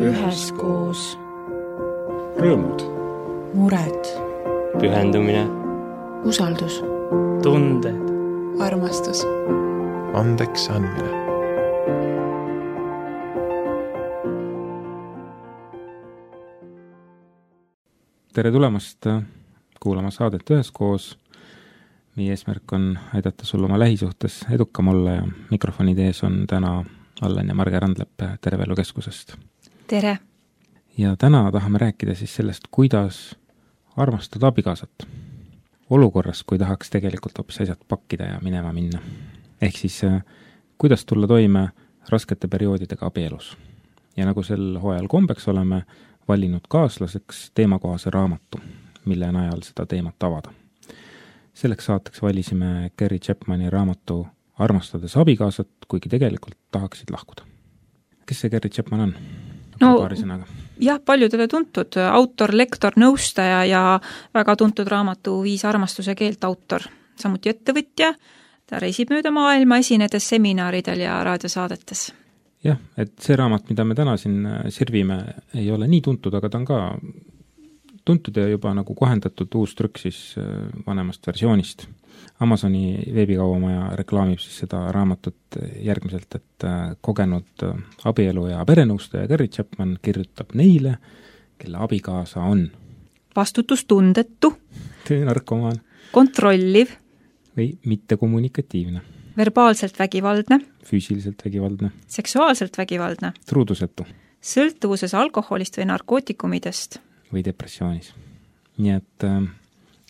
üheskoos. Rõõmud, Mured, pühendumine, usaldus, tunded, armastus, andeks andmine. Tere tulemast kuulama saadet üheskoos. Meie eesmärk on aidata sul oma lähisuhtes edukam olla ja mikrofonide ees on täna Allen ja Marge Randlepp Terve Elu Keskusest. Tere! Ja täna tahame rääkida siis sellest, kuidas armastada abikaasat. Olukorras, kui tahaks tegelikult hoopis asjad pakkida ja minema minna. Ehk siis, kuidas tulla toime raskete perioodidega abielus. Ja nagu sel hooajal kombeks oleme valinud kaaslaseks teemakohase raamatu, mille najal seda teemat avada. Selleks saateks valisime Gary Chapmani raamatu Armastades abikaasat, kuigi tegelikult tahaksid lahkuda. Kes see Gary Chapman on? Paari sõnaga. Jah, paljudele tuntud autor, lektor, nõustaja ja väga tuntud raamatu 5 armastuse keelt autor. Samuti ettevõtja, ta reisib mööda maailma esinedes seminaridel ja raadiosaadetes. Jah, et see raamat, mida me täna siin sirvime, ei ole nii tuntud, aga ta on ka tuntud ja juba nagu kohendatud uus trükk siis vanemast versioonist. Amazoni veebikaubamaja reklaamib siis seda raamatut järgmiselt, et kogenud abielu ja perenõustaja Gary Chapman kirjutab neile, kelle abikaasa on vastutustundetu, töönarkomaan, kontrolliv või mittekommunikatiivne, verbaalselt vägivaldne, füüsiliselt vägivaldne, seksuaalselt vägivaldne, truudusetu, sõltuvuses alkoholist või narkootikumidest või depressioonis. Nii et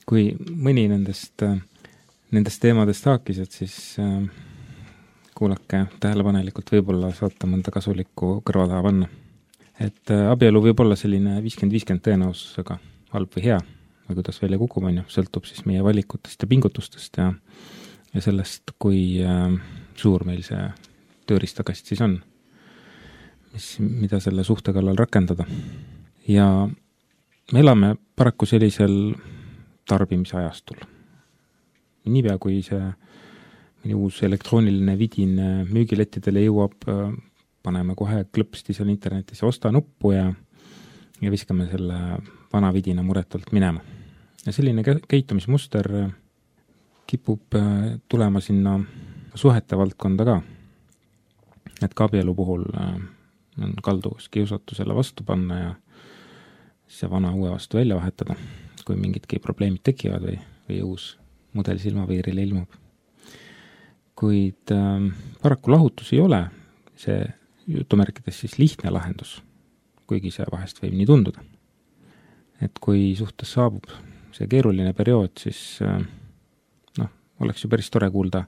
kui mõni nendest teemadest haakised, siis kuulake tähelepanelikult, võib-olla saate mõnda kasulikku kõrva taha panna. Et abielu võib olla selline 50-50 tõenäosusega halb või hea, või kuidas välja kukub, sõltub siis meie valikutest ja pingutustest ja sellest, kui suur meil see tööristakast siis on, mida selle suhte kallal rakendada. Ja me elame paraku sellisel tarbimisajastul. Niipea, kui see uus elektrooniline vidin müügilettidele jõuab, paneme kohe klõpsti seal internetis osta nuppu ja viskame selle vana vidina muretult minema. Ja selline käitumismuster kipub tulema sinna suhete valdkonda ka. Et ka abielu puhul on kalduvus kiusatusele vastu panna ja see vana uue vastu välja vahetada, kui mingidki probleemid tekivad või uus mudel silmapiirile ilmub. Kuid paraku lahutus ei ole see jutumärkides siis lihtne lahendus, kuigi see vahest võib nii tunduda. Et kui suhtes saabub see keeruline periood, siis oleks ju päris tore kuulda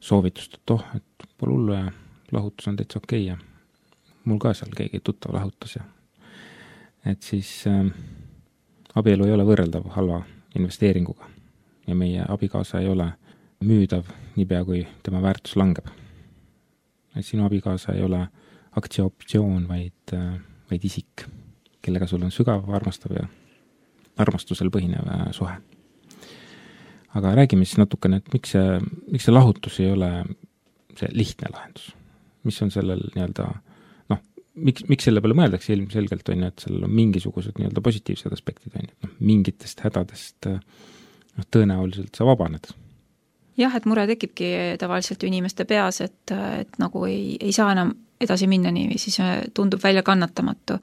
soovitust, et pole hullu ja lahutus on täitsa okei ja mul ka seal keegi tuttav lahutas ja et siis abielu ei ole võrreldav halva investeeringuga ja meie abikaasa ei ole müüdav niipea, kui tema väärtus langeb. Et sinu abikaasa ei ole aktsiaoptsioon, vaid isik, kellega sul on sügav, armastav ja armastusel põhinev suhe. Aga räägime siis natukene, et miks see lahutus ei ole see lihtne lahendus. Mis on sellel nii-öelda, miks selle peale mõeldakse ilmselgelt on, et sellel on mingisugused nii-öelda positiivsed aspektid on, et mingitest hädadest tõenäoliselt sa vabaned. Jah, et mure tekibki tavaliselt inimeste peas, et nagu ei saa enam edasi minna nii, siis tundub välja kannatamatu.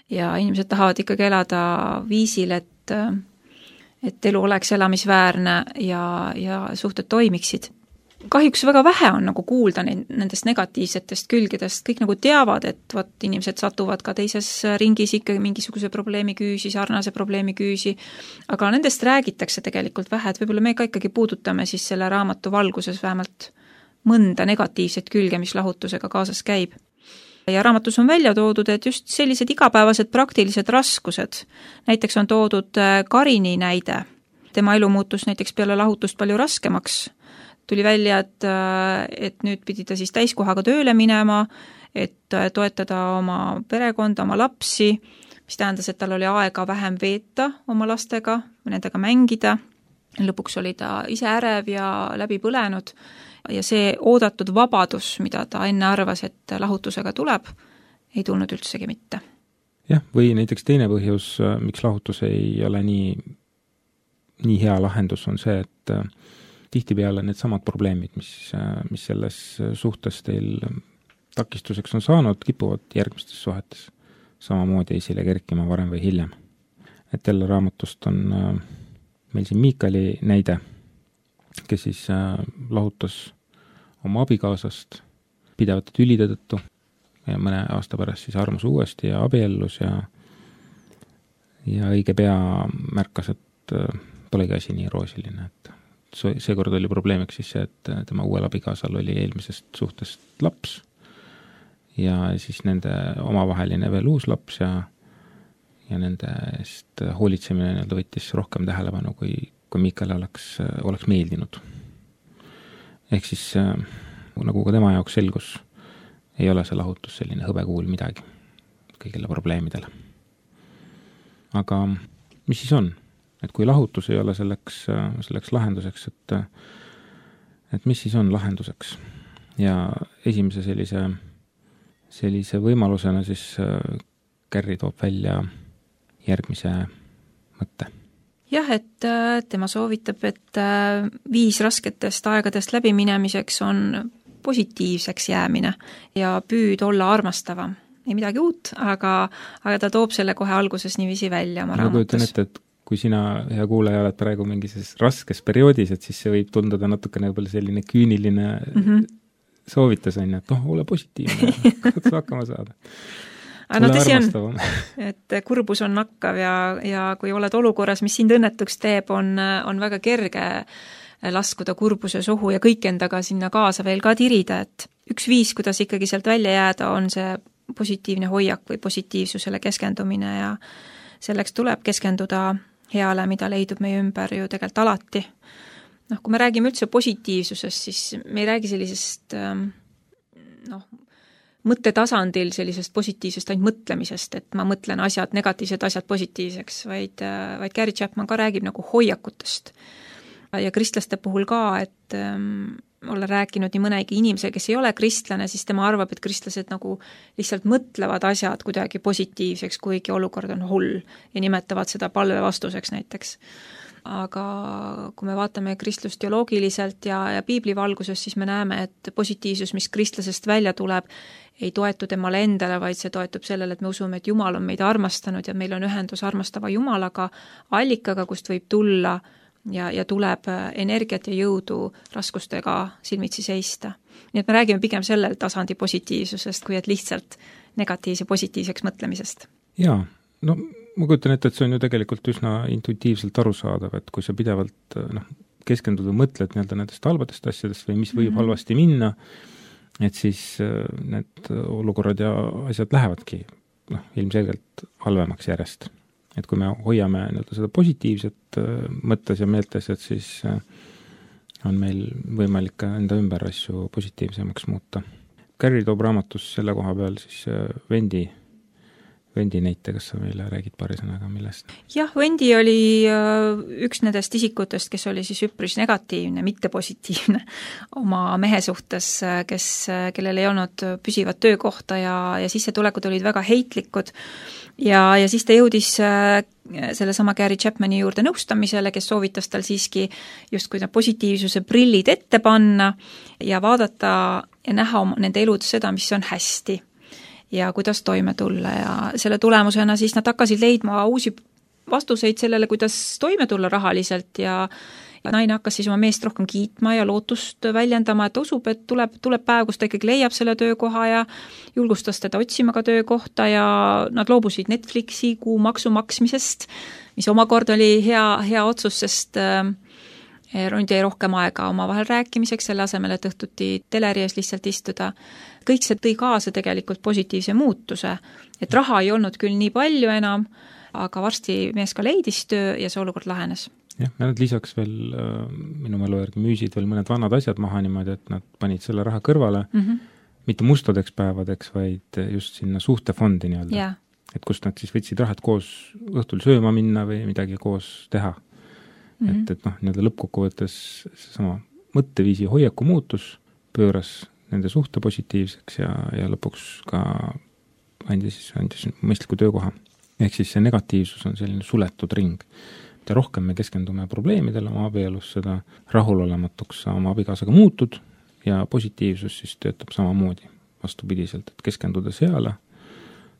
Ja inimesed tahavad ikkagi elada viisil, et elu oleks elamisväärne ja suhted toimiksid. Kahjuks väga vähe on nagu kuulda nendest negatiivsetest külgedest, kõik nagu teavad, et inimesed satuvad ka teises ringis ikkagi mingisuguse probleemi küüsi, sarnase probleemi küüsi, aga nendest räägitakse tegelikult vähe, et võib-olla me ka ikkagi puudutame siis selle raamatu valguses vähemalt mõnda negatiivset külge, mis lahutusega kaasas käib. Ja raamatus on välja toodud, et just sellised igapäevased praktilised raskused, näiteks on toodud Karini näide, tema elu muutus näiteks peale lahutust palju raskemaks, tuli välja, et nüüd pidi ta siis täiskohaga tööle minema, et toetada oma perekonda, oma lapsi, mis tähendas, et tal oli aega vähem veeta oma lastega, nendega mängida. Lõpuks oli ta ise ärev ja läbi põlenud ja see oodatud vabadus, mida ta enne arvas, et lahutusega tuleb, ei tulnud üldsegi mitte. jah, või näiteks teine põhjus, miks lahutus ei ole nii hea lahendus, on see, et tihtipeale need samad probleemid, mis selles suhtes teil takistuseks on saanud, kipuvad järgmistes suhetes samamoodi esile kerkima varem või hiljem. Et jälle raamatust on meil siin Miikali näide, kes siis lahutas oma abikaasast pidevate tülide tõttu ja mõne aasta pärast siis armus uuesti ja abiellus ja õige pea märkas, et polegi asi nii roosiline, et seekord oli probleemiks siis see, et tema uuel abikaasal oli eelmisest suhtest laps ja siis nende omavaheline veel uus laps ja nende eest hoolitsemine võttis rohkem tähelepanu, kui Miikale oleks meeldinud. Ehk siis nagu ka tema jaoks selgus, ei ole see lahutus selline hõbekuul midagi kõigile probleemidele. Aga mis siis on? Et kui lahutus ei ole selleks lahenduseks, et mis siis on lahenduseks? Ja esimese sellise võimalusena siis Carey toob välja järgmise mõtte. Jah, et tema soovitab, et 5 rasketest aegadest läbiminemiseks on positiivseks jäämine ja püüd olla armastavam. Ei midagi uut, aga ta toob selle kohe alguses niiviisi välja oma raamatus. Ma kujutan ette, et kui sina, hea kuulaja, oled praegu mingis raskes perioodis, et siis see võib tunduda natukene võib-olla selline küüniline soovitus on, et ole positiivne, katsu hakkama saada. No tõsi on, et kurbus on nakkav ja kui oled olukorras, mis sind õnnetuks teeb, on väga kerge laskuda kurbuse sohu ja kõik endaga sinna kaasa veel ka tirida, et üks viis, kuidas ikkagi sealt välja jääda, on see positiivne hoiak või positiivsusele keskendumine ja selleks tuleb keskenduda heale, mida leidub meie ümber ju tegelikult alati. Kui me räägime üldse positiivsusest, siis me ei räägi sellisest mõttetasandil sellisest positiivsest ainult mõtlemisest, et ma mõtlen negatiivsed asjad positiivseks, vaid Gary Chapman ka räägib nagu hoiakutest. Ja kristlaste puhul ka, et olla rääkinud nii mõnegi inimese, kes ei ole kristlane, siis tema arvab, et kristlased nagu lihtsalt mõtlevad asjad kuidagi positiivseks, kuigi olukord on hull ja nimetavad seda palve vastuseks näiteks. Aga kui me vaatame kristlust teoloogiliselt ja piibli valguses, siis me näeme, et positiivsus, mis kristlasest välja tuleb, ei toetu temale endale, vaid see toetub sellele, et me usume, et Jumal on meid armastanud ja meil on ühendus armastava Jumalaga, allikaga, kust võib tulla ja tuleb energiat ja jõudu raskustega silmitsi seista. Nii et me räägime pigem sellel tasandi positiivsusest, kui et lihtsalt negatiivse positiivseks mõtlemisest. Jaa, ma kujutan ette, et see on ju tegelikult üsna intuitiivselt arusaadav, et kui sa pidevalt keskendud või mõtled nendest halbadest asjadest või mis võib halvasti minna, et siis need olukorrad ja asjad lähevadki ilmselgelt halvemaks järjest. Et kui me hoiame seda positiivset mõttes ja meeltes, et siis on meil võimalik ka enda ümber asju positiivsemaks muuta. Carey toob raamatus selle koha peal siis Vendi näite, kas sa meile räägid paari sõnaga, millest? Jah, Vendi oli üks nendest isikutest, kes oli siis üpris negatiivne, mitte positiivne oma mehe suhtes, kellel ei olnud püsivat töökohta ja sissetulekud olid väga heitlikud ja siis ta jõudis sellesama Gary Chapmani juurde nõustamisele, kes soovitas tal siiski justkui positiivsuse prillid ette panna ja vaadata ja näha nende eludes seda, mis on hästi ja kuidas toime tulla ja selle tulemusena siis nad hakkasid leidma uusi vastuseid sellele, kuidas toime tulla rahaliselt ja naine hakkas siis oma meest rohkem kiitma ja lootust väljendama, et usub, et tuleb päev, kus ta ikkagi leiab selle töökoha ja julgustas teda otsima ka töökohta ja nad loobusid Netflixi kuumaksu maksmisest, mis omakorda oli hea otsus, sest nüüd jäi rohkem aega omavahel rääkimiseks, selle asemel, et õhtuti teleri ees lihtsalt istuda. Kõik see tõi kaasa tegelikult positiivse muutuse, et raha ei olnud küll nii palju enam, aga varsti mees ka leidis töö ja see olukord lahenes. Jah, ja nad lisaks veel minu mälu järgi müüsid veel mõned vanad asjad maha niimoodi, et nad panid selle raha kõrvale, mitte mustadeks päevadeks, vaid just sinna suhtefondi nii-öelda. Yeah. Et kust nad siis võtsid rahad koos õhtul sööma minna või midagi koos teha. Et nii-öelda lõppkokkuvõttes seesama mõtteviisi hoiaku muutus pööras nende suhte positiivseks ja lõpuks ka andis mõistliku töökoha. Ehk siis see negatiivsus on selline suletud ring. Ja rohkem me keskendume probleemidele oma abielus, seda rahulolematuks sa oma abikaasaga muutud ja positiivsus siis töötab samamoodi vastupidiselt, et keskenduda seale,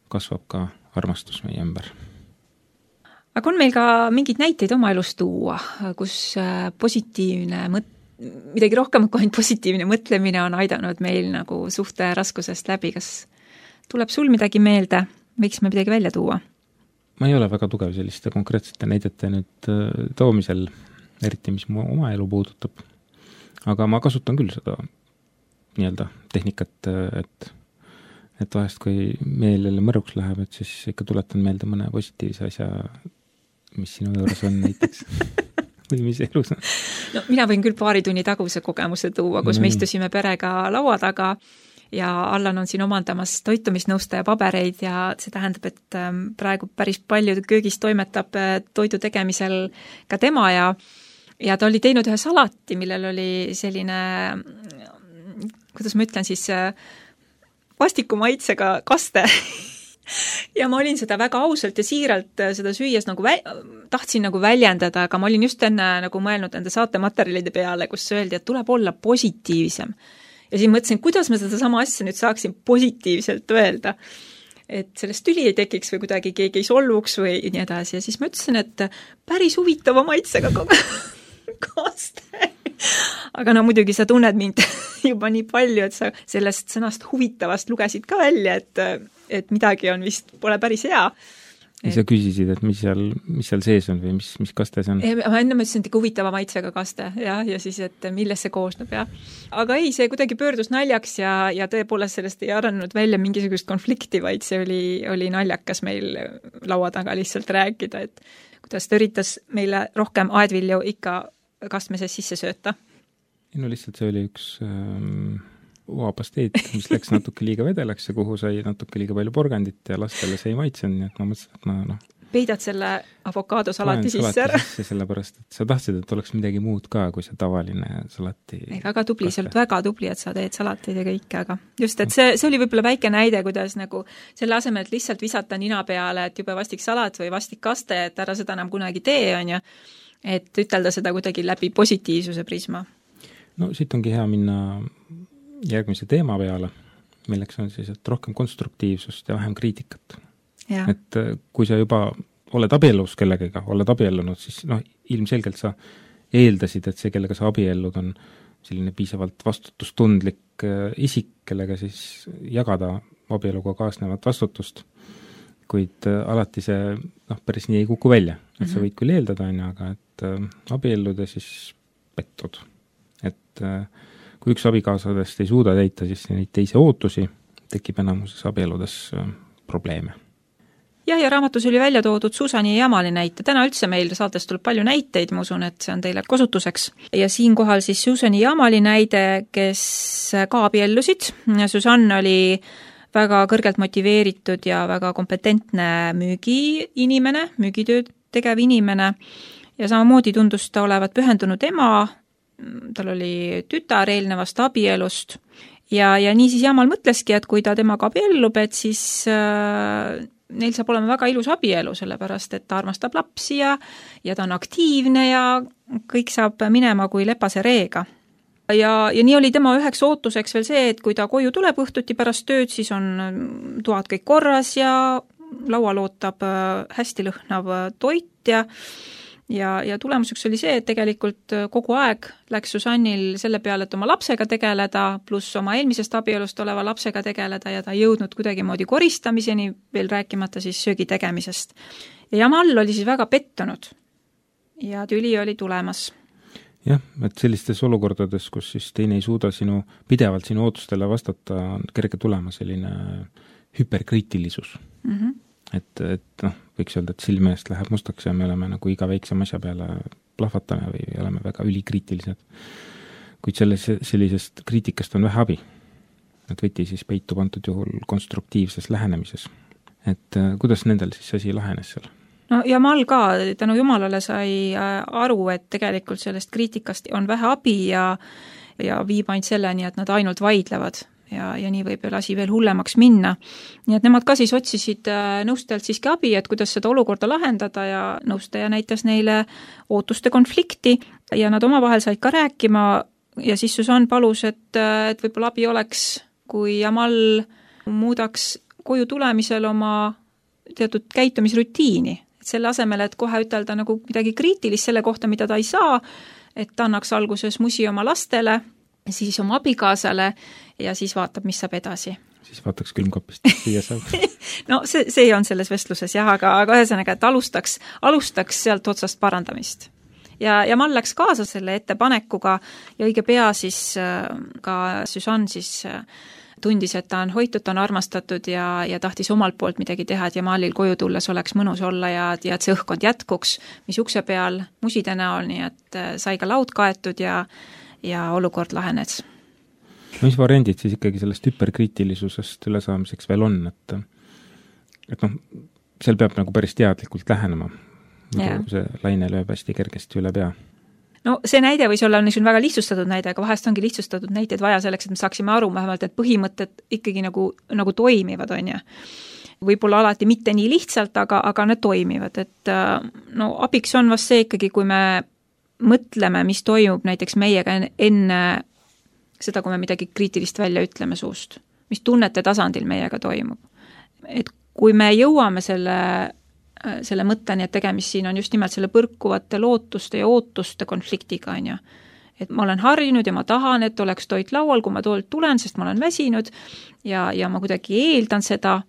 kasvab ka armastus meie ümber. Aga on meil ka mingeid näiteid oma elust tuua, kus positiivne midagi rohkem kui ainult positiivne mõtlemine on aidanud meil nagu suhte raskusest läbi, kas tuleb sul midagi meelde, võiks me midagi välja tuua? Ma ei ole väga tugev selliste konkreetsete näidete nüüd toomisel, eriti mis mu oma elu puudutab. Aga ma kasutan küll seda nii-öelda tehnikat, et vahest kui meil jälle mõruks läheb, et siis ikka tuletan meelde mõne positiivse asja, mis sinu juures on näiteks või mis elus on. No, mina võin küll paari tunni taguse kogemuse tuua, kus me istusime perega laua taga ja Allan on siin omandamas toitumisnõustaja pabereid ja see tähendab, et praegu päris palju köögis toimetab toidu tegemisel ka tema ja ta oli teinud ühe salati, millel oli selline, kuidas ma ütlen siis, vastiku maitsega kaste. Ja ma olin seda väga ausalt ja siiralt seda süües nagu tahtsin nagu väljendada, aga ma olin just enne nagu mõelnud enda saatematerjalide peale, kus öeldi, et tuleb olla positiivsem. Ja siis mõtlesin, kuidas ma seda sama asja nüüd saaksin positiivselt öelda, et sellest tüli ei tekiks või kuidagi keegi ei solvuks või nii edasi. Ja siis ma ütlesin, et päris huvitava maitsega kaste. Aga no muidugi sa tunned mind juba nii palju, et sa sellest sõnast huvitavast lugesid ka välja, et midagi on vist, pole päris hea. Ja sa küsisid, et mis seal sees on või mis kaste see on? Ma enne mõtlesin, et huvitava maitsega kaste ja siis, et millest see koosneb. Ja. Aga ei, see kuidagi pöördus naljaks ja tõepoolest sellest ei arenenud välja mingisugust konflikti, vaid see oli naljakas meil laua taga lihtsalt rääkida, et kuidas ta üritas meile rohkem aedvilju ikka kastmeses sisse sööta. No lihtsalt see oli üks uapasteet, mis läks natuke liiga vedelaks ja kuhu sai natuke liiga palju porgandit ja lastele see ei maitsenud, nii et ma mõtlesin, et ma peidad selle avokaadosalati sisse ära. Sellepärast, et sa tahtsid, et oleks midagi muud ka, kui see tavaline salati. Väga tubli, see oli väga tubli, et sa teed salateid ja kõike, aga just, et see oli võib-olla väike näide, kuidas nagu selle asemel, et lihtsalt visata nina peale, et jube vastik salat või vastik kaste, et ära seda enam kunagi tee, on ju, et ütelda seda kuidagi läbi positiivsuse prisma. No siit ongi hea minna järgmise teema peale, milleks on siis, et rohkem konstruktiivsust ja vähem kriitikat. Ja. Et kui sa juba oled abiellus kellegagi, oled abiellunud, siis ilmselgelt sa eeldasid, et see, kellega sa abiellud, on selline piisavalt vastutustundlik isik, kellega siis jagada abieluga kaasnevat vastutust. Kuid alati see päris nii ei kuku välja. Et sa võid küll eeldada, aga et abielluda siis pettud. Et kui üks abikaasadest ei suuda täita, siis neid teise ootusi tekib enamuses abieludes probleeme. Ja raamatus oli välja toodud Suusani ja Jamali näite. Täna üldse meil saates tuleb palju näiteid, ma usun, et see on teile kasutuseks. Ja siinkohal siis Suusani ja Jamali näide, kes ka abiellusid. Susanne oli väga kõrgelt motiveeritud ja väga kompetentne müügiinimene, müügitööd tegev inimene ja samamoodi tundus ta olevat pühendunud ema. Tal oli tütar eelnevast abielust ja nii siis Jamal mõtleski, et kui ta temaga abiellub, et siis neil saab olema väga ilus abielu, sellepärast et ta armastab lapsi ja ta on aktiivne ja kõik saab minema kui lepase reega. Ja nii oli tema üheks ootuseks veel see, et kui ta koju tuleb õhtuti pärast tööd, siis on toad kõik korras ja laual ootab hästi lõhnav toit ja tulemuseks oli see, et tegelikult kogu aeg läks Susannil selle peale, et oma lapsega tegeleda, pluss oma eelmisest abielust oleva lapsega tegeleda ja ta ei jõudnud kuidagimoodi koristamiseni, veel rääkimata siis söögi tegemisest. Ja Jamal oli siis väga pettunud ja tüli oli tulemas. Jah, et sellistes olukordades, kus siis teine ei suuda pidevalt sinu ootustele vastata, on kerge tulema selline hüperkriitilisus. Et võiks öelda, et silme eest läheb mustaks ja me oleme nagu iga väiksem asja peale plahvatame või oleme väga ülikriitilised. Kuid sellisest kriitikast on vähe abi. Et võti siis peitub antud juhul konstruktiivses lähenemises. Et kuidas nendel siis asi lahenes seal? No Jamal ka tänu Jumalale sai aru, et tegelikult sellest kriitikast on vähe abi ja viib ainult selleni, et nad ainult vaidlevad. ja nii võib asi veel hullemaks minna. Nii et nemad ka siis otsisid nõustajalt siiski abi, et kuidas seda olukorda lahendada ja nõustaja näitas neile ootuste konflikti ja nad omavahel said ka rääkima ja siis Susanne palus, et võib-olla abi oleks, kui Jamal muudaks koju tulemisel oma teatud käitumisrutiini. Et selle asemel, et kohe ütelda nagu midagi kriitilist selle kohta, mida ta ei saa, et ta annaks alguses musi oma lastele, siis oma abikaasale ja siis vaatab, mis saab edasi. Siis vaataks külmkapist, siia saab. No see on selles vestluses jah, aga ühesõnaga, et alustaks sealt otsast parandamist. Ja Mal läks kaasa selle ettepanekuga ja õige pea siis ka Susanne siis tundis, et ta on hoitud, ta on armastatud ja tahtis omalt poolt midagi teha, et Jamalil koju tulles oleks mõnus olla ja et see õhkkond jätkuks, mis ukse peal muside näol, nii et sai ka laud kaetud ja olukord lahenes. Mis variandid siis ikkagi sellest hüperkriitilisusest ülesaamiseks veel on, et seal peab nagu päris teadlikult lähenema, see laine lööb hästi kergesti üle pea. No see näide võis olla väga lihtsustatud näide, aga vahest ongi lihtsustatud näiteid vaja selleks, et me saaksime aru vähemalt, et põhimõtted ikkagi nagu toimivad, on ju. Võib-olla alati mitte nii lihtsalt, aga need toimivad, et abiks on vast see ikkagi, kui me mõtleme, mis toimub näiteks meiega enne seda, kui me midagi kriitilist välja ütleme suust, mis tunnete tasandil meiega toimub. Et kui me jõuame selle mõtteni, et tegemist siin on just nimelt selle põrkuvate lootuste ja ootuste konfliktiga, on ju. Et ma olen harjunud ja ma tahan, et oleks toit laual, kui ma toilt tulen, sest ma olen väsinud ja ma kuidagi eeldan seda.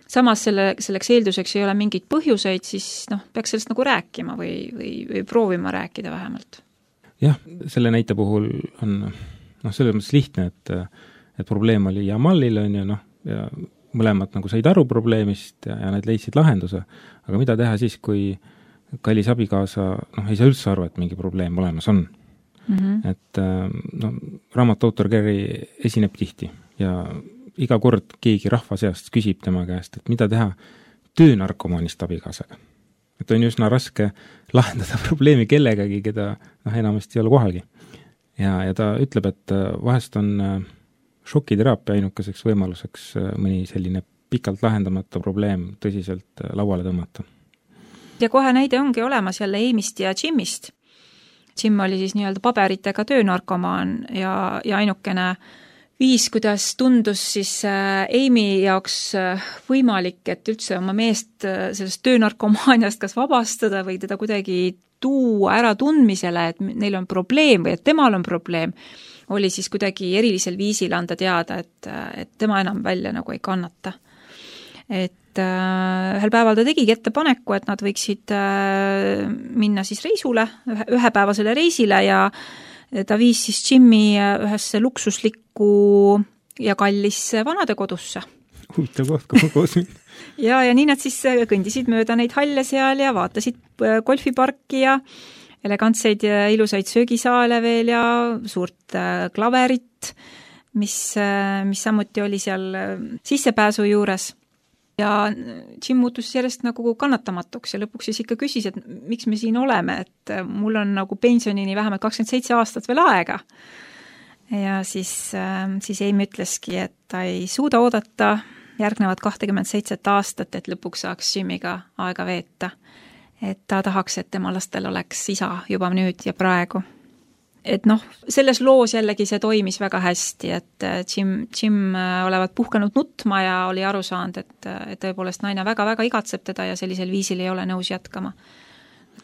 Samas selleks eelduseks ei ole mingid põhjuseid, siis peaks sellest nagu rääkima või proovima rääkida vähemalt. Jah, selle näite puhul on selles mõttes lihtne, et probleem oli Jamalil, on ju, ja mõlemad nagu said aru probleemist ja need leidsid lahenduse. Aga mida teha siis, kui kallis abikaasa ei saa üldse aru, et mingi probleem olemas on? Mm-hmm. Et raamatu autor Gary esineb tihti ja iga kord keegi rahva seast küsib tema käest, et mida teha töönarkomaanist abikaasaga. Et on üsna raske lahendada probleemi kellegagi, keda enamasti ei ole kohalgi. Ja ta ütleb, et vahest on šokiteraapia ainukeseks võimaluseks mõni selline pikalt lahendamata probleem tõsiselt lauale tõmmata. Ja kohe näide ongi olemas jälle Amyst ja Jimist. Jim oli siis nii-öelda paberitega töönarkomaan ja ainukene viis, kuidas tundus siis Amy jaoks võimalik, et üldse oma meest sellest töönarkomaaniast kas vabastada või teda kuidagi tuua ära tundmisele, et neil on probleem või et temal on probleem, oli siis kuidagi erilisel viisil anda teada, et tema enam välja nagu ei kannata. Et ühel päeval ta tegigi ettepaneku, et nad võiksid minna siis reisule, ühepäevasele reisile ja ta viis siis Jimmy ühesse luksuslikku ja kallisse vanadekodusse. Huvitav koht, kui koos minna. ja nii nad siis kõndisid mööda neid halle seal ja vaatasid golfiparki ja elegantseid ja ilusaid söögisaale veel ja suurt klaverit, mis samuti oli seal sissepääsu juures. Ja Jim muutus järjest nagu kannatamatuks ja lõpuks siis ikka küsis, et miks me siin oleme, et mul on nagu pensionini vähemalt 27 aastat veel aega. Ja siis Amy ütleski, et ta ei suuda oodata järgnevad 27 aastat, et lõpuks saaks Jimiga aega veeta. Et ta tahaks, et tema lastel oleks isa juba nüüd ja praegu. Et selles loos jällegi see toimis väga hästi, et Jim olevat puhkenud nutma ja oli aru saanud, et tõepoolest naine väga-väga igatseb teda ja sellisel viisil ei ole nõus jätkama.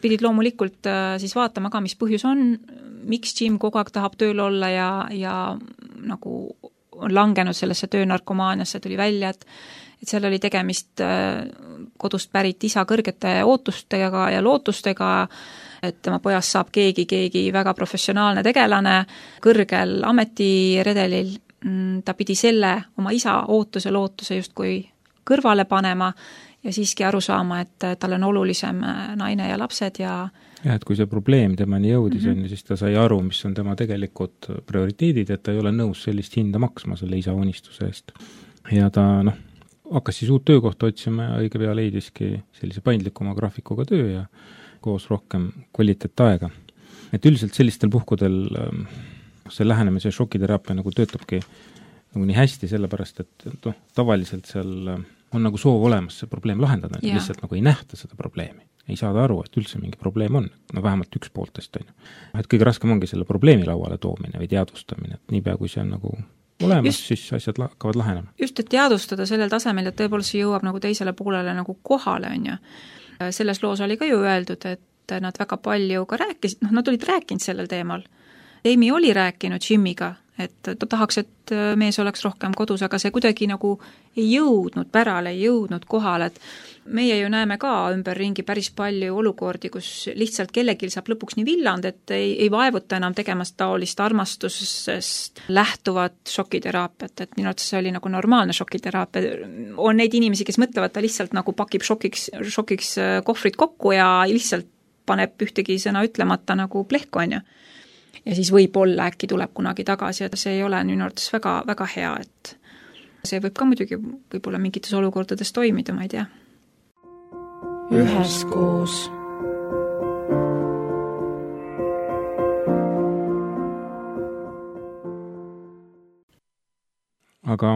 Pidid loomulikult siis vaatama ka, mis põhjus on, miks Jim kogu aeg tahab tööl olla ja nagu on langenud sellesse töönarkomaaniasse, tuli välja, et seal oli tegemist kodust pärit isa kõrgete ootustega ja lootustega, et tema pojast saab keegi väga professionaalne tegelane kõrgel ametiredelil. Ta pidi selle oma isa lootuse justkui kõrvale panema ja siiski aru saama, et tal on olulisem naine ja lapsed ja et kui see probleem temani jõudis, siis ta sai aru, mis on tema tegelikult prioriteedid, et ta ei ole nõus sellist hinda maksma selle isa unistuse eest. Ja ta hakkas siis uut töökohta otsima ja õige pea leidiski sellise paindlikuma graafikuga töö ja koos rohkem kvaliteetaega. Et üldiselt sellistel puhkudel see lähenemise šokiteraapia nagu töötabki nagu nii hästi, sellepärast et noh, tavaliselt seal on nagu soov olemas see probleem lahendada, lihtsalt nagu ei nähta seda probleemi. Ei saada aru, et üldse mingi probleem on, no vähemalt üks pooltest on ju. Et kõige raskem ongi selle probleemi lauale toomine või teadvustamine, et niipea kui see on nagu olemas, siis asjad hakkavad lahenema. Just, et teadvustada sellel tasemel, et tõepoolest see jõuab nagu teisele poolele nagu kohale, on ju. Selles loos oli ka ju öeldud, et nad väga palju ka rääkisid, nad olid rääkinud sellel teemal. Amy oli rääkinud Jimiga, et ta tahaks, et mees oleks rohkem kodus, aga see kuidagi nagu ei jõudnud pärale, ei jõudnud kohale, et meie ju näeme ka ümberringi päris palju olukordi, kus lihtsalt kellegil saab lõpuks nii villand, et ei vaevuta enam tegemast taolist armastusest lähtuvat šokiteraapiat, et minu arvates see oli nagu normaalne šokiteraapia. On neid inimesi, kes mõtlevad, ta lihtsalt nagu pakib šokiks kohvrid kokku ja lihtsalt paneb ühtegi sõna ütlemata nagu plehku, on ju. Ja siis võib-olla äkki tuleb kunagi tagasi, et see ei ole minu arvates väga, väga hea, et see võib ka muidugi võib-olla mingites olukordades toimida, ma ei tea. Üheskoos. Aga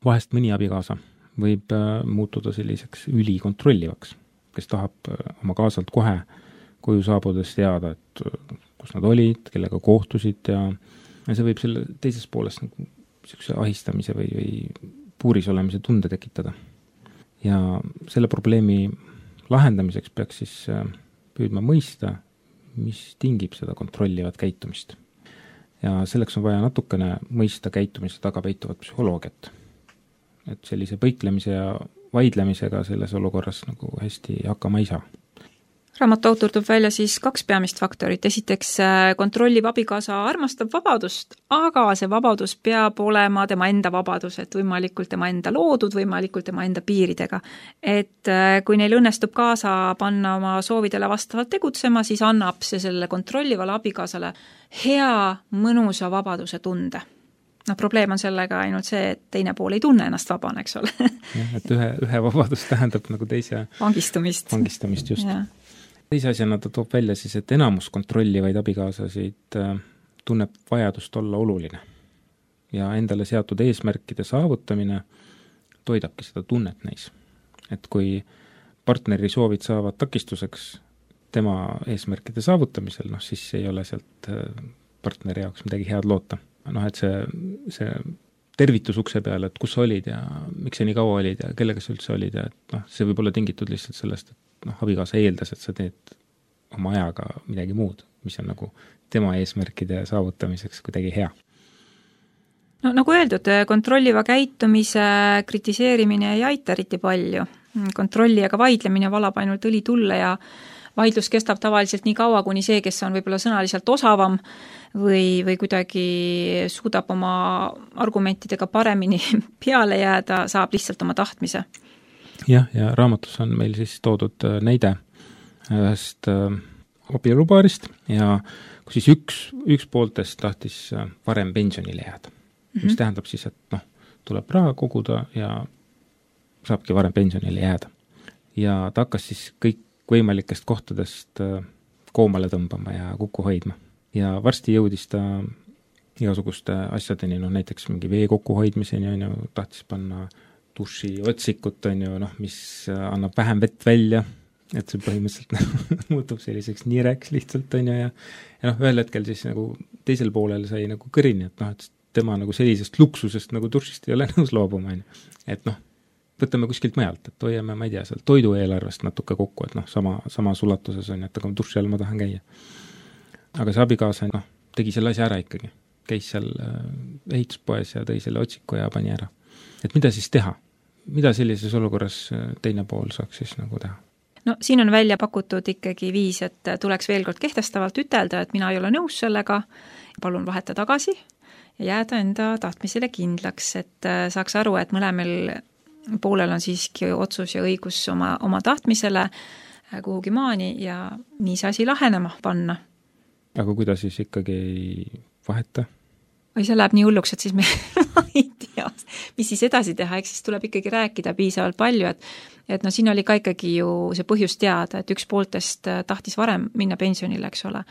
vahest mõni abikaasa võib muutuda selliseks ülikontrollivaks, kes tahab oma kaasalt kohe koju saabudes teada, et kus nad olid, kellega kohtusid ja see võib selle teises pooles nagu selline ahistamise või puuris olemise tunde tekitada. Ja selle probleemi lahendamiseks peaks siis püüdma mõista, mis tingib seda kontrollivat käitumist. Ja selleks on vaja natukene mõista käitumise taga peituvat psühholoogiat. Et sellise põiklemise ja vaidlemisega selles olukorras nagu hästi hakkama ei saa. Raamatu autor toob välja siis 2 peamist faktorit. Esiteks kontrolliv abikaasa armastab vabadust, aga see vabadus peab olema tema enda vabadus, et võimalikult tema enda loodud, võimalikult tema enda piiridega. Et kui neil õnnestub kaasa panna oma soovidele vastavalt tegutsema, siis annab see selle kontrollivale abikaasale hea, mõnusa vabaduse tunde. No probleem on sellega ainult see, et teine pool ei tunne ennast vabana, eks ole. Ja, et ühe vabadus tähendab nagu teise vangistumist just. Ja. Teise asjana ta toob välja siis, et enamus kontrollivaid abikaasasid tunneb vajadust olla oluline ja endale seatud eesmärkide saavutamine toidabki seda tunnet neis. Et kui partneri soovid saavad takistuseks tema eesmärkide saavutamisel, siis ei ole sealt partneri jaoks midagi head loota. Et see tervitus ukse peale, et kus sa olid ja miks sa nii kaua olid ja kellega sa üldse olid ja see võib olla tingitud lihtsalt sellest, et abikaasa eeldas, et sa teed oma ajaga midagi muud, mis on nagu tema eesmärkide saavutamiseks kuidagi hea. No nagu öeldud, kontrolliva käitumise kritiseerimine ei aita eriti palju. Kontrollijaga vaidlemine valab ainult õli tulle ja vaidlus kestab tavaliselt nii kaua, kuni see, kes on võib-olla sõnaliselt osavam või kuidagi suudab oma argumentidega paremini peale jääda, saab lihtsalt oma tahtmise. Ja raamatus on meil siis toodud näide ühest abielupaarist ja kui siis üks pooltest tahtis varem pensionile jääda, mis tähendab siis, et tuleb raha koguda ja saabki varem pensionile jääda. Ja ta hakkas siis kõik võimalikest kohtadest koomale tõmbama ja kokku hoidma. Ja varsti jõudis ta igasuguste asjadeni, näiteks mingi vee kokkuhoidmiseni, tahtis panna duši otsikut, mis annab vähem vett välja, et see põhimõtteliselt muutub selliseks nireks lihtsalt, ja ühel hetkel siis nagu teisel poolel sai nagu kõrini, et tema nagu sellisest luksusest nagu dušist ei ole nõus loobuma, et võtame kuskilt mujalt, et hoiame, ma ei tea, seal toidueelarvest natuke kokku, et sama sulatuses on, et aga duši all ma tahan käia. Aga see abikaasa tegi selle asja ära ikkagi, käis seal ehituspoes ja tõi selle otsiku ja pani ära. Et mida siis teha? Mida sellises olukorras teine pool saaks siis nagu teha? No siin on välja pakutud ikkagi viis, et tuleks veel kord kehtestavalt ütelda, et mina ei ole nõus sellega, palun vaheta tagasi ja jääda enda tahtmisele kindlaks, et saaks aru, et mõlemel poolel on siiski otsus ja õigus oma tahtmisele kuhugi maani ja nii see asi lahenema panna. Aga kuidas siis ikkagi ei vaheta? Või see läheb nii hulluks, et siis me ei tea, mis siis edasi teha, eks siis tuleb ikkagi rääkida piisavalt palju, et et no siin oli ka ikkagi ju see põhjus teada, et üks pooltest tahtis varem minna pensionile, eks ole.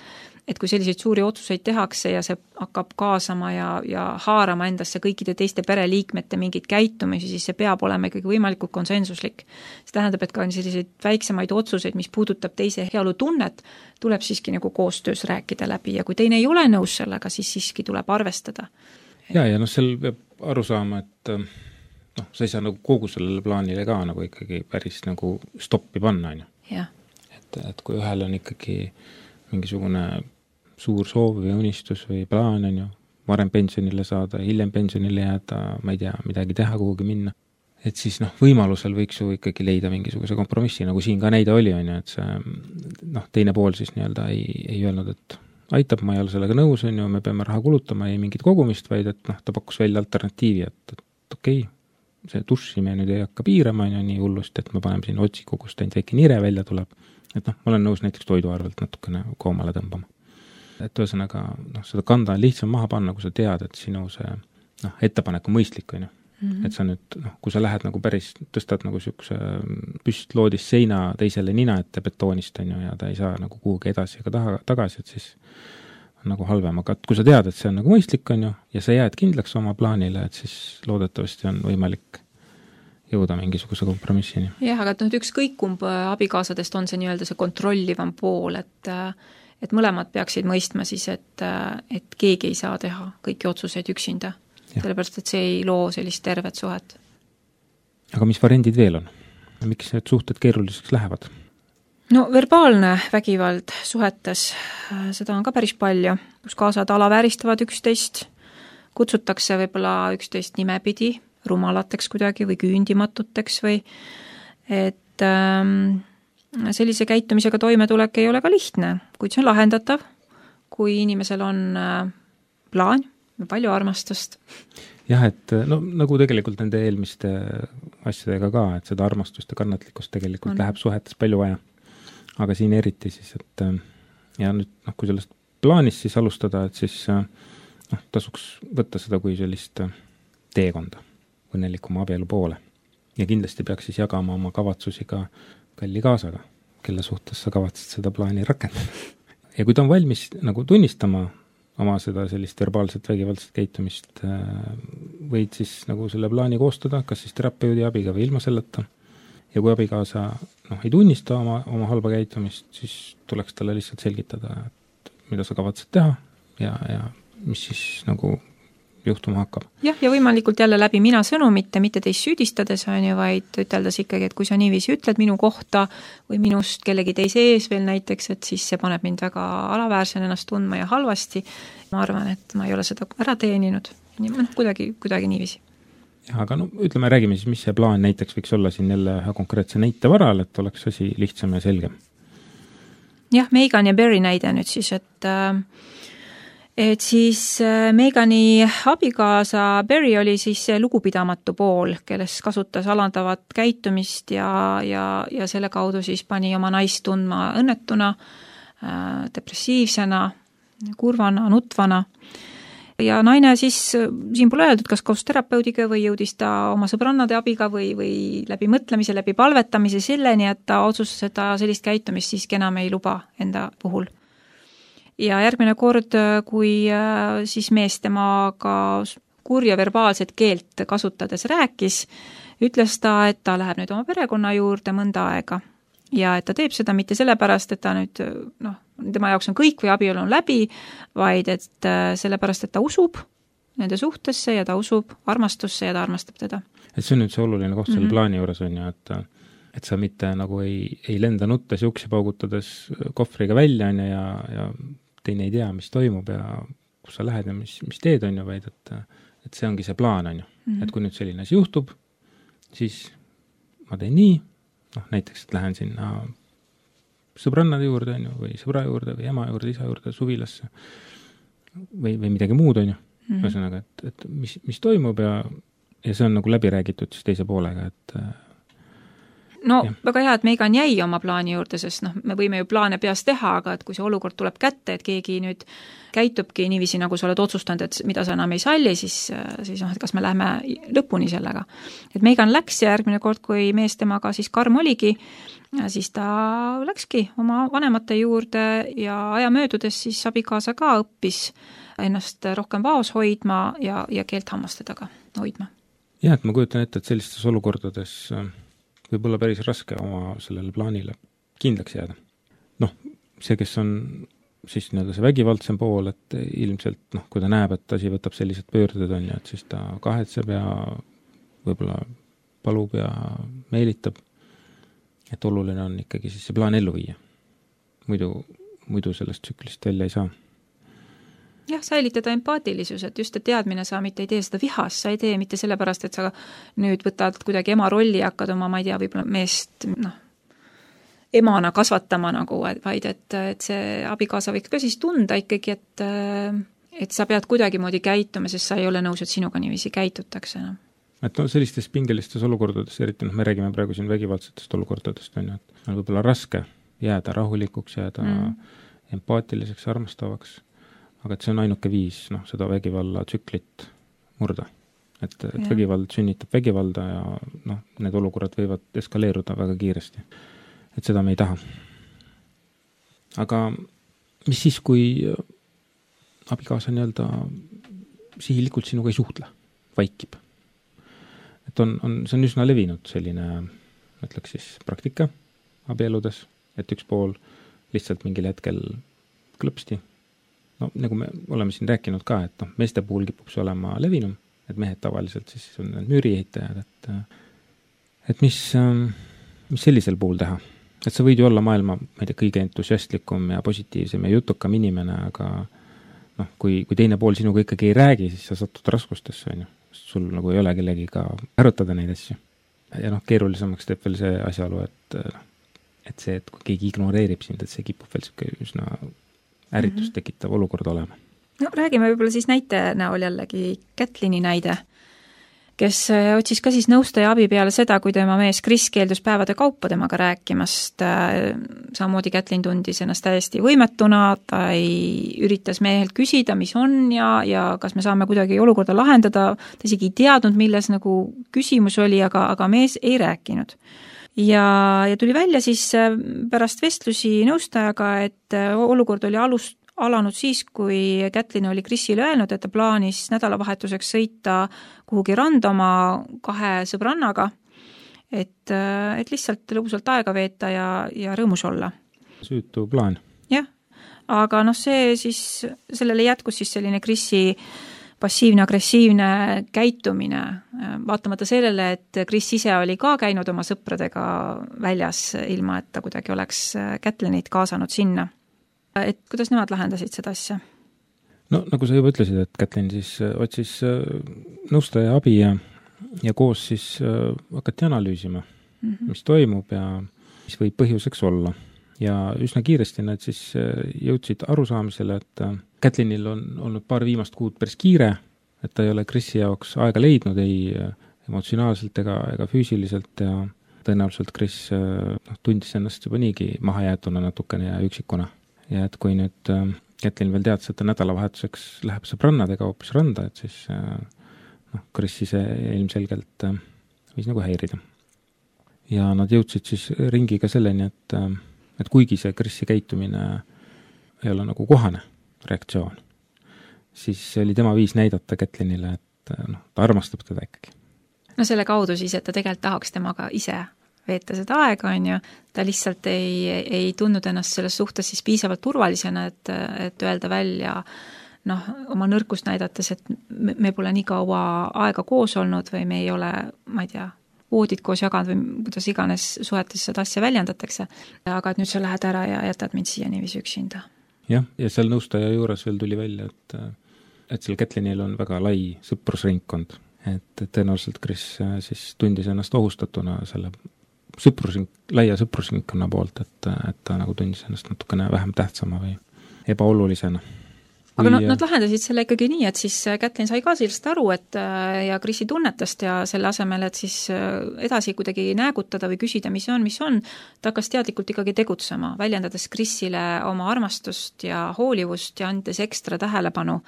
Et kui selliseid suuri otsuseid tehakse ja see hakkab kaasama ja haarama endasse kõikide teiste pereliikmete mingid käitumisi, siis see peab olema ikkagi võimalikult konsensuslik. See tähendab, et ka selliseid väiksemaid otsuseid, mis puudutab teise heaolu tunnet, tuleb siiski nagu koostöös rääkida läbi ja kui teine ei ole nõus sellega, siis siiski tuleb arvestada. Ja seal peab aru saama, et sa ei saa nagu kogu sellele plaanile ka nagu ikkagi päris nagu stoppi panna, on ju. Ja. Et kui ühel on ikkagi mingisugune suur soov või unistus või plaan, on ju, varem pensionile saada, hiljem pensionile jääda, ma ei tea, midagi teha, kuhugi minna. Et siis võimalusel võiks ju ikkagi leida mingisuguse kompromissi, nagu siin ka näide oli, on ju, et see teine pool siis nii-öelda ei öelnud, et aitab, ma ei ole sellega nõus, on ju, me peame raha kulutama, ei mingit kogumist, vaid et ta pakkus välja alternatiivi, et okei, see duši me nüüd ei hakka piirama, on ju, nii hullust, et me paneme siin otsikogust ainult väike nire välja tuleb, et ma olen nõus näiteks toiduarvelt natukene koomale tõmbama. Et ühesõnaga, seda kanda on lihtsam maha panna, kui sa tead, et sinu see ettepanek on mõistlik, on ju. Et sa nüüd, kui sa lähed nagu päris, tõstad nagu siukse püstloodis seina teisele nina ette betoonist, on ju, ja ta ei saa nagu kuhugi edasi ega tagasi, et siis on nagu halvem. Aga kui sa tead, et see on nagu mõistlik, on ju, ja sa jääd kindlaks oma plaanile, et siis loodetavasti on võimalik jõuda mingisuguse kompromissini. Jah, aga ükskõik kumb abikaasadest on see nii-öelda see kontrollivam pool, et mõlemad peaksid mõistma siis, et keegi ei saa teha kõiki otsuseid üksinda. Sellepärast, et see ei loo sellist tervet suhet. Aga mis variandid veel on? Miks need suhted keeruliseks lähevad? No verbaalne vägivald suhetes, seda on ka päris palju, kus kaasad alavääristavad üksteist, kutsutakse võib-olla üksteist nimepidi, rumalateks kuidagi või küündimatuteks või et sellise käitumisega toimetulek ei ole ka lihtne, kuid see on lahendatav, kui inimesel on plaan ja palju armastust. Jah, et nagu tegelikult nende eelmiste asjadega ka, et seda armastust ja kannatlikkust tegelikult läheb suhetes palju vaja. Aga siin eriti siis, et ja nüüd, kui sellest plaanist siis alustada, et siis tasuks võtta seda kui sellist teekonda õnnelikuma abielu poole. Ja kindlasti peaks siis jagama oma kavatsusi ka kalli kaasaga, kelle suhtes sa kavatsed seda plaani rakendada. Ja kui ta on valmis nagu tunnistama oma seda sellist verbaalset vägivaldset käitumist, võid siis nagu selle plaani koostada, kas siis terapeudi abiga või ilma selleta. Ja kui abikaasa ei tunnista oma halba käitumist, siis tuleks talle lihtsalt selgitada, et mida sa kavatsed teha ja mis siis nagu juhtuma hakkab. Jah, ja võimalikult jälle läbi mina sõnumite, mitte teist süüdistades on ju, vaid üteldes ikkagi, et kui sa niiviisi ütled minu kohta või minust kellegi teise ees veel näiteks, et siis see paneb mind väga alaväärsen ennast tundma ja halvasti. Ma arvan, et ma ei ole seda ära teeninud. Kuidagi niiviisi. Ja, aga ütleme, räägime siis, mis see plaan näiteks võiks olla siin jälle konkreetse näite varal, et oleks asi lihtsam ja selgem. Jah, Megan ja Barry näide nüüd siis, et siis Megani abikaasa Barry oli siis lugupidamatu pool, kelles kasutas alandavat käitumist ja selle kaudu siis pani oma naist tundma õnnetuna, depressiivsena, kurvana, nutvana. Ja naine siis, siin pole öeldud, kas koos terapeudiga või jõudis ta oma sõbrannade abiga või läbi mõtlemise, läbi palvetamise selleni, et ta otsustas seda sellist käitumist siiski enam ei luba enda puhul. Ja järgmine kord, kui siis mees temaga kurja verbaalset keelt kasutades rääkis, ütles ta, et ta läheb nüüd oma perekonna juurde mõnda aega. Ja et ta teeb seda mitte sellepärast, et ta nüüd, tema jaoks on kõik või abielu on läbi, vaid et sellepärast, et ta usub nende suhtesse ja ta usub armastusse ja ta armastab teda. Et see on nüüd see oluline koht selle plaani juures on ju, et sa mitte nagu ei lenda nuttes ja uksi paugutades kohvriga välja on ja teine ei tea, mis toimub ja kus sa lähed ja mis teed on ju, vaid et see ongi see plaan on ju. Et kui nüüd selline asi juhtub, siis ma teen nii, näiteks, et lähen sinna sõbrannade juurde on ju, või sõbra juurde või ema juurde, isa juurde, suvilasse või midagi muud on ju. Ühesõnaga, et mis toimub ja see on nagu läbi räägitud siis teise poolega, et no väga hea, et Megan jäi oma plaani juurde, sest me võime ju plaane peas teha, aga et kui see olukord tuleb kätte, et keegi nüüd käitubki niiviisi, nagu sa oled otsustanud, et mida sa enam ei salli, siis et kas me läheme lõpuni sellega. Et Megan läks ja järgmine kord, kui mees temaga siis karm oligi, siis ta läkski oma vanemate juurde ja aja möödudes siis abikaasa ka õppis ennast rohkem vaos hoidma ja keelt hammaste taga hoidma. Jah, et ma kujutan ette, et sellistes olukordades võib olla päris raske oma sellele plaanile kindlaks jääda. See, kes on siis see vägivaldsem pool, et ilmselt kui ta näeb, et asi võtab sellised pöörded on ja et siis ta kahetseb ja võib-olla palub ja meelitab, et oluline on ikkagi siis see plaan ellu viia. Muidu sellest tsüklist välja ei saa. Jah, säilitada empaatilisus, et just teadmine sa mitte ei tee seda vihas, sa ei tee mitte sellepärast, et sa nüüd võtad kuidagi ema rolli ja hakkad oma, ma ei tea, võib-olla meest emana kasvatama vaid et see abikaasa võiks ka siis tunda ikkagi, et sa pead kuidagimoodi käituma, sest sa ei ole nõus, et sinuga niiviisi käitutakse. Et sellistes pingelistes olukordades, eriti me räägime praegu siin vägivaldsetest olukordadest, et on võib-olla raske jääda rahulikuks, jääda empaatiliseks, armastavaks, aga et see on ainuke viis seda vägivalla tsüklit murda. Et vägivald sünnitab vägivalda ja need olukorrad võivad eskaleeruda väga kiiresti. Et seda me ei taha. Aga mis siis, kui abikaasa sihilikult sinuga ei suhtle, vaikib? Et see on üsna levinud selline, ütleks siis, praktika abieludes, et üks pool lihtsalt mingil hetkel klõpsti. Nagu me oleme siin rääkinud ka, et meeste puhul kipub see olema levinum, et mehed tavaliselt siis on müürieitajad, et mis sellisel puhul teha? Et sa võid ju olla maailma, ma ei tea, kõige entusiastlikum ja positiivsem ja jutukam inimene, aga kui teine pool sinuga ikkagi ei räägi, siis sa satud raskustesse, on ju. Sul ei ole kellegiga arutada neid asju. Ja keerulisemaks teeb veel see asjaolu, et see, et kui keegi ignoreerib sind, et see kipub veel üsna ärritust tekitav olukord olema. Räägime võib-olla siis näite näol jällegi Kätlini näide, kes otsis ka siis nõustaja abi peale seda, kui tema mees Chris keeldus päevade kaupa temaga rääkimast. Samamoodi Kätlin tundis ennast täiesti võimetuna, ta ei üritas mehelt küsida, mis on ja kas me saame kuidagi olukorda lahendada. Ta isegi ei teadnud, milles küsimus oli, aga mees ei rääkinud. Ja tuli välja siis pärast vestlusi nõustajaga, et olukord oli alanud siis, kui Kätlin oli Chrisile öelnud, et ta plaanis nädalavahetuseks sõita kuhugi randa oma 2 sõbrannaga, et lihtsalt lõbusalt aega veeta ja rõõmus olla. Süütu plaan. Jah, aga see siis, sellele jätkus siis selline Chrisi passiivne-agressiivne käitumine, vaatamata sellele, et Chris ise oli ka käinud oma sõpradega väljas, ilma et ta kuidagi oleks Kätlinit kaasanud sinna. Et kuidas nemad lahendasid seda asja? Nagu sa juba ütlesid, et Kätlin siis otsis nõustaja abi ja koos siis hakati analüüsima, mis toimub ja mis võib põhjuseks olla. Ja üsna kiiresti nad siis jõudsid arusaamisele, et Kätlinil on olnud paar viimast kuud päris kiire, et ta ei ole Chrisi jaoks aega leidnud ei emotsionaalselt ega füüsiliselt ja tõenäoliselt Chris tundis ennast juba niigi mahajäetuna natukene ja üksikuna. Ja et kui nüüd Kätlin veel teadis, et ta nädalavahetuseks läheb sõbrannadega hoopis randa, et siis Chris ise ilmselgelt võis häirida. Ja nad jõudsid siis ringiga selleni, et kuigi see Chrisi käitumine ei ole kohane reaktsioon, siis oli tema viis näidata Kätlinile, et ta armastab teda ikkagi. Selle kaudu siis, et ta tegelikult tahaks temaga ise veeta seda aega, on ju, ta lihtsalt ei tundnud ennast selles suhtes siis piisavalt turvalisena, et öelda välja oma nõrkust näidates, et me pole nii kaua aega koos olnud või me ei ole, ma ei tea, voodid koos jaganud või kuidas iganes suhetes seda asja väljendatakse, aga et nüüd sa lähed ära ja jätad mind siia niiviisi üksinda. Jah, ja seal nõustaja juures veel tuli välja, et seal Kätlinil on väga lai sõprusringkond, et tõenäoliselt Chris siis tundis ennast ohustatuna selle laia sõprusringkonna poolt, et ta tundis ennast natukene vähem tähtsama või ebaolulisena. aga nad lahendasid selle ikkagi nii, et siis Kätlin sai ka sellest aru, et ja Krisi tunnetast ja selle asemel, et siis edasi kuidagi näägutada või küsida, mis on, ta hakkas teadlikult ikkagi tegutsema, väljendades Krisile oma armastust ja hoolivust ja andes ekstra tähelepanu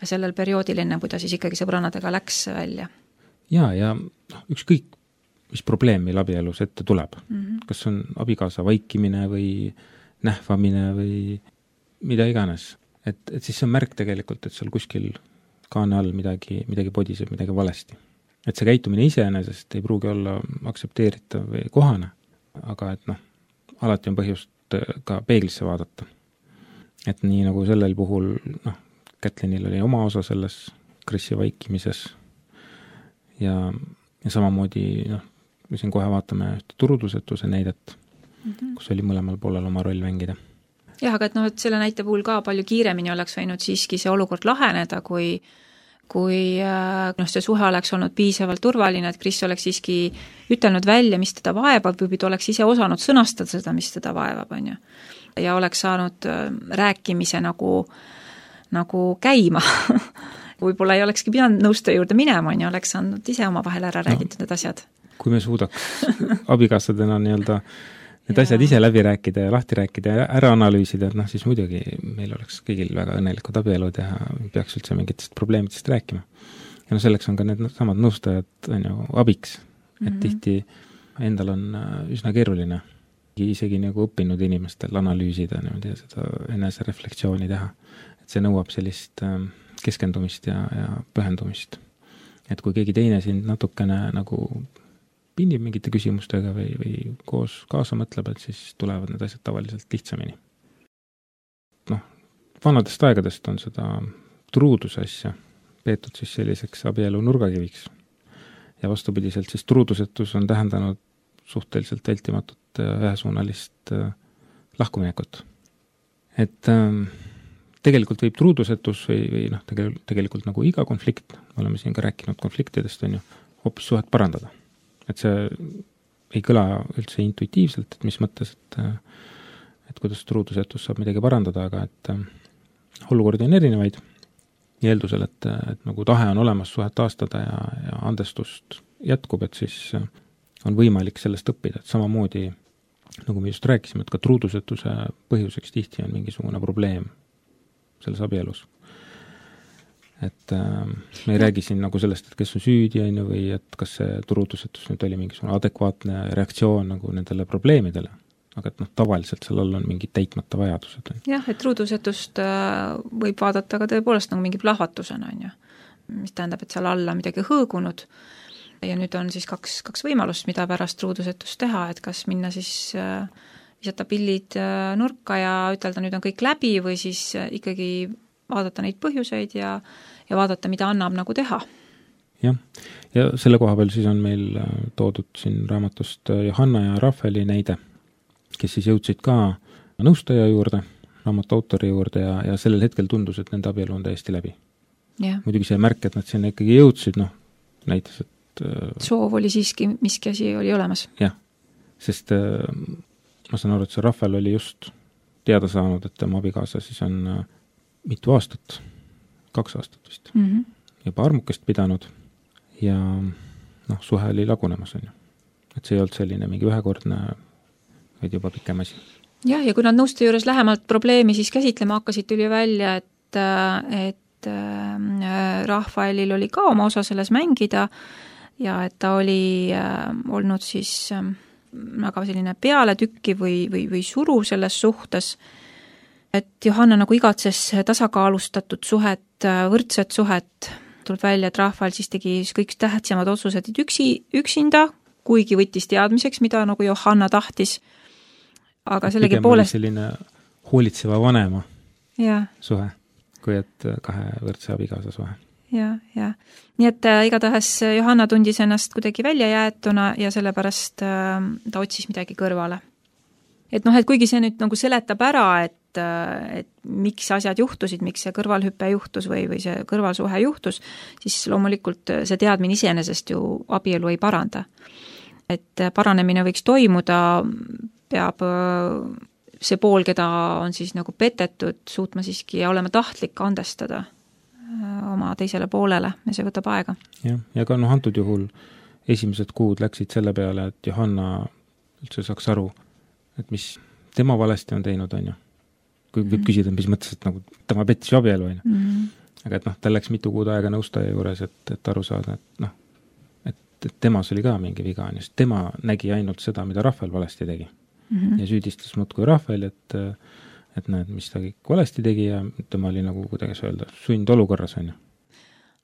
sellel perioodil enne, kui ta siis ikkagi sõbrannadega läks välja. Ja ükskõik, mis probleem meil abielus ette tuleb. Kas on abikaasa vaikimine või nähvamine või mida iganes. Et siis see on märk tegelikult, et seal kuskil kaane all midagi podiseb, midagi valesti. Et see käitumine iseenesest ei pruugi olla aktsepteeritav või kohane, aga et alati on põhjust ka peeglisse vaadata. Et nii nagu sellel puhul, Kätlinil oli oma osa selles Krisi vaikimises ja samamoodi, me siin kohe vaatame ühte turudusetuse näidet, kus oli mõlemal poolel oma roll mängida. Jah, aga et selle näite puhul ka palju kiiremini oleks võinud siiski see olukord laheneda, kui see suhe oleks olnud piisavalt turvaline, et Kris oleks siiski ütelnud välja, mis teda vaevab, või ta oleks ise osanud sõnastada seda, mis teda vaevab, on ju. Ja oleks saanud rääkimise nagu käima. Võib-olla ei olekski pidanud nõustaja juurde minema, on ju, oleks saanud ise oma vahel ära räägitud need asjad. Kui me suudaks abikaasadena need asjad ise läbi rääkida ja lahti rääkida ja ära analüüsida, et siis muidugi meil oleks kõigil väga õnnelikud abielud ja peaks üldse mingitest probleemidest rääkima. Ja selleks on ka need samad nõustajad abiks, et tihti endal on üsna keeruline isegi õppinud inimestel analüüsida ja seda enese reflektsiooni teha. Et see nõuab sellist keskendumist ja pühendumist. Et kui keegi teine sind natukene pinnib mingite küsimustega või koos kaasa mõtleb, et siis tulevad need asjad tavaliselt lihtsamini. Vanadest aegadest on seda truuduse asja peetud siis selliseks abielu nurgakiviks. Ja vastupidiselt siis truudusetus on tähendanud suhteliselt vältimatut ühesuunalist lahkuminekut. Et tegelikult võib truudusetus või tegelikult nagu iga konflikt, me oleme siin ka rääkinud konfliktidest, on ju, hoopis suhet parandada. Et see ei kõla üldse intuitiivselt, et mis mõttes, et kuidas truudusetus saab midagi parandada, aga et olukordi on erinevaid ja eeldusel, et nagu tahe on olemas suhet taastada ja andestust jätkub, et siis on võimalik sellest õppida, et samamoodi, nagu me just rääkisime, et ka truudusetuse põhjuseks tihti on mingisugune probleem selles abielus. Et me ei räägi siin sellest, et kes on süüdi või et kas see truudusetus nüüd oli mingisugune adekvaatne reaktsioon nendele probleemidele, aga et tavaliselt seal all on mingid täitmata vajadused. Jah, et truudusetust võib vaadata ka tõepoolest mingi plahvatusena, on ju, mis tähendab, et seal alla midagi hõõgunud ja nüüd on siis kaks võimalust, mida pärast truudusetust teha, et kas minna siis visata pillid nurka ja ütelda, nüüd on kõik läbi või siis ikkagi vaadata neid põhjuseid ja vaadata, mida annab teha. Jah, ja selle koha peal siis on meil toodud siin raamatust Johanna ja Rafaeli näide, kes siis jõudsid ka nõustaja juurde, raamatu autori juurde ja sellel hetkel tundus, et nende abielu on täiesti läbi. Yeah. Muidugi see märk, et nad sinna ikkagi jõudsid, näitas, et soov oli siiski, miski asi oli olemas. Jah, sest ma saan aru, et see Rafael oli just teada saanud, et tema abikaasa siis on mitu aastat, 2 aastat vist, juba armukest pidanud ja suhe oli lagunemas, on ju. Et see ei olnud selline mingi ühekordne, vaid juba pikem asi. Jah, ja kui nad nõuste juures lähemalt probleemi siis käsitlema hakkasid, tuli välja, et Rafaelil oli ka oma osa selles mängida ja et ta oli olnud siis väga selline pealetükki või suru selles suhtes, et Johanna igatses tasakaalustatud suhet, võrdset suhet, tuleb välja, et Rafael siis tegi kõik tähtsamad otsused üksinda, kuigi võttis teadmiseks, mida Johanna tahtis, aga sellegi poolest selline hoolitseva vanema ja. Suhe, kui et 2 võrdse abikaasa suhe. Ja. Nii et igatahes Johanna tundis ennast kuidagi välja jäetuna ja sellepärast ta otsis midagi kõrvale. Et kuigi see nüüd seletab ära, et miks asjad juhtusid, miks see kõrvalhüpe juhtus või see kõrvalsuhe juhtus, siis loomulikult see teadmine iseenesest ju abielu ei paranda. Et paranemine võiks toimuda, peab see pool, keda on siis nagu petetud, suutma siiski ja olema tahtlik andestada oma teisele poolele ja see võtab aega. Ja ka antud juhul esimesed kuud läksid selle peale, et Johanna üldse saaks aru, et mis tema valesti on teinud, on ju. Kui võib küsida, mis mõttes, et nagu tema pettis abielu, on ju. Aga et tal läks mitu kuud aega nõustaja juures, et aru saada, et temas oli ka mingi viga, on ju, sest tema nägi ainult seda, mida Rahvel valesti tegi. Ja süüdistas muudkui Rahvel, et näed, mis ta kõik valesti tegi ja tema oli nagu kuidagi öelda sund olukorras, on ju.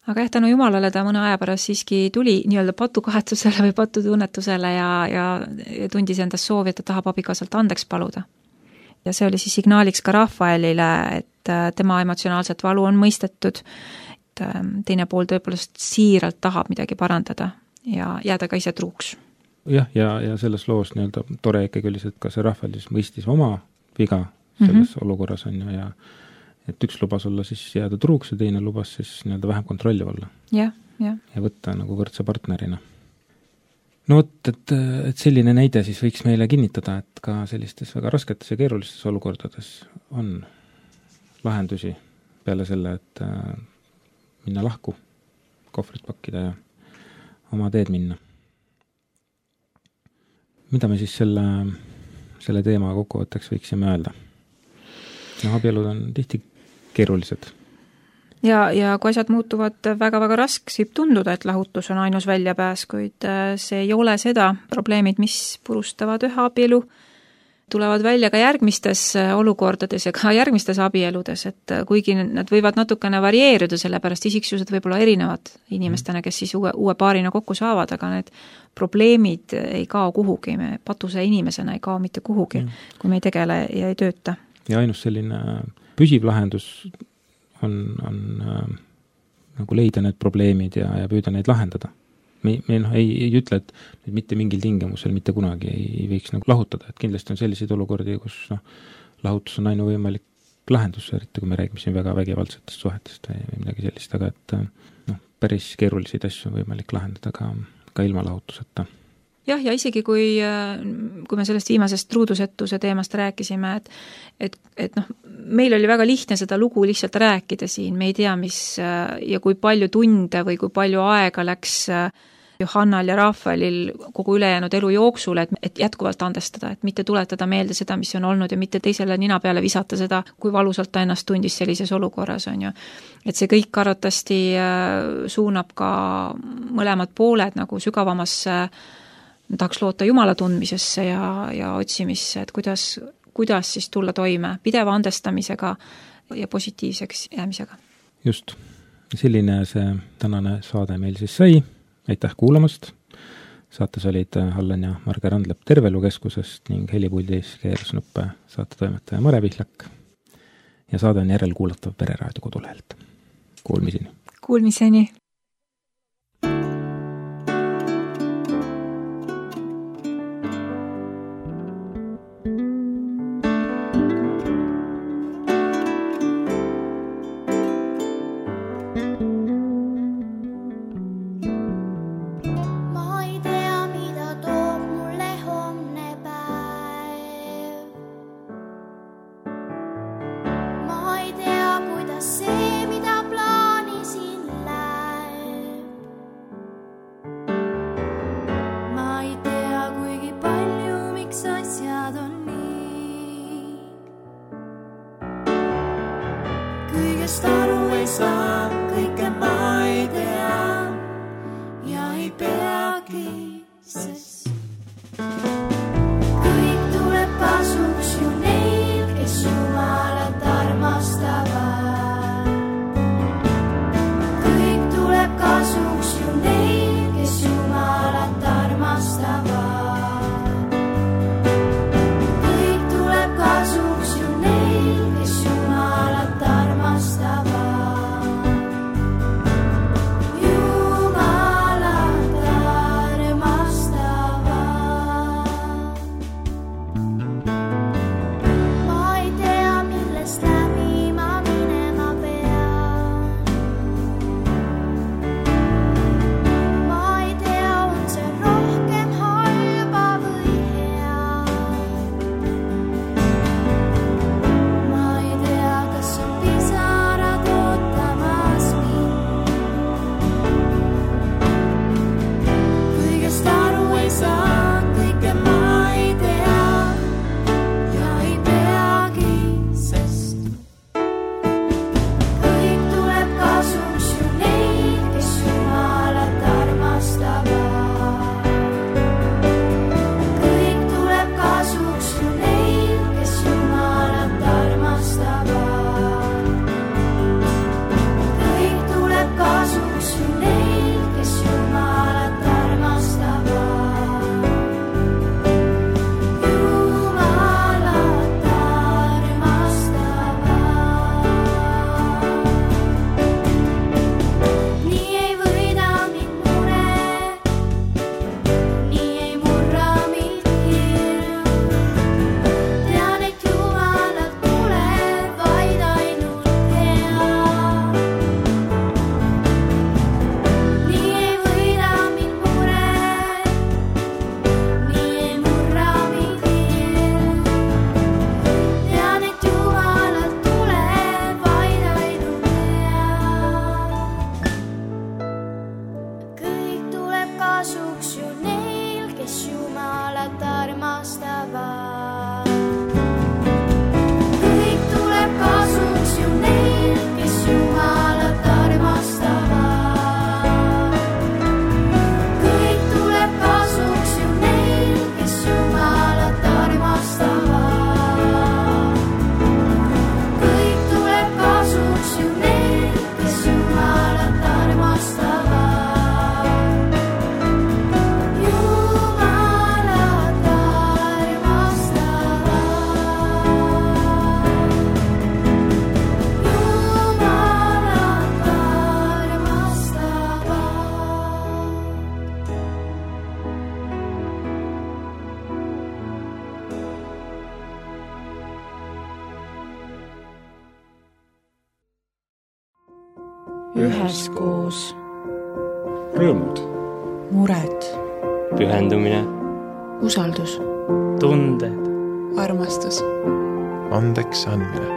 Aga tänu Jumalale ta mõne aja pärast siiski tuli nii-öelda patukahetsusele või patutunnetusele ja tundis endast soovi, et ta tahab abikaasalt andeks paluda. Ja see oli siis signaaliks ka Rafaelile, et tema emotsionaalset valu on mõistetud, et teine pool tõepoolest siiralt tahab midagi parandada ja jääda ka ise truuks. Jah, ja selles loos nii-öelda tore ikkagi oli see, et ka see Rahvel siis mõistis oma viga selles olukorras on ju ja et üks lubas olla siis jääda truuks ja teine lubas siis nii-öelda vähem kontrolli olla. Ja võtta nagu võrdse partnerina. No vot, et selline näide siis võiks meile kinnitada, et ka sellistes väga rasketes ja keerulistes olukordades on lahendusi peale selle, et minna lahku, kohvrit pakkida ja oma teed minna. Mida me siis selle teema kokkuvõtteks võiksime öelda? Abielud on tihti keerulised. Ja kui asjad muutuvad väga-väga raskeks, võib tunduda, et lahutus on ainus väljapääs, kuid see ei ole seda. Probleemid, mis purustavad ühe abielu, tulevad välja ka järgmistes olukordades ja ka järgmistes abieludes, et kuigi nad võivad natukene varieeruda, sellepärast isiksused võib-olla erinevad inimestena, kes siis uue paarina kokku saavad, aga need probleemid ei kao kuhugi, me patuse inimesena ei kao mitte kuhugi, kui me ei tegele ja ei tööta. Ja ainus selline püsiv lahendus on nagu leida need probleemid ja püüda neid lahendada. Me ei ütle, et mitte mingil tingimusel mitte kunagi ei võiks nagu lahutada, et kindlasti on selliseid olukordi, kus lahutus on ainuvõimalik lahendus, eriti kui me räägime siin väga vägivaldsetest suhetest või midagi sellist, aga et päris keeruliseid asju on võimalik lahendada ka ilma lahutuseta. Jah, ja isegi kui me sellest viimasest truudusetuse teemast rääkisime, et meil oli väga lihtne seda lugu lihtsalt rääkida siin, me ei tea, mis ja kui palju tunde või kui palju aega läks Johannal ja Rafaelil kogu ülejäänud elu jooksul, et jätkuvalt andestada, et mitte tuletada meelde seda, mis on olnud ja mitte teisele nina peale visata seda, kui valusalt ta ennast tundis sellises olukorras, on ju. Et see kõik arvatasti suunab ka mõlemad pooled nagu sügavamasse tahaks loota Jumala tundmisesse ja otsimisse, et kuidas siis tulla toime pideva andestamisega ja positiivseks jäämisega. Just. Selline see tänane saade meil siis sai. Aitäh kuulamast. Saates olid Allan ja Marge Randlepp Tervelukeskusest ning helipuldis keeras nuppe saatetoimetaja Mare Pihlak. Ja saade on järelkuulatav Pereraadio kodulehelt. Kuulmiseni. Kuulmiseni. Kõigest aru ei saa, kõike ma ei tea ja ei peagi, sest kõik tuleb kasuks ju neil, kes Jumalat armastavad. Kõik tuleb kasuks ju neil, kes Jumalat armastavad. Kõik tuleb kasuks ju neil, kes Jumalat armastavad. Jumalat armastavad. üheskoos, rõõmud, mured, pühendumine, usaldus, tunded, armastus, andeks andmine,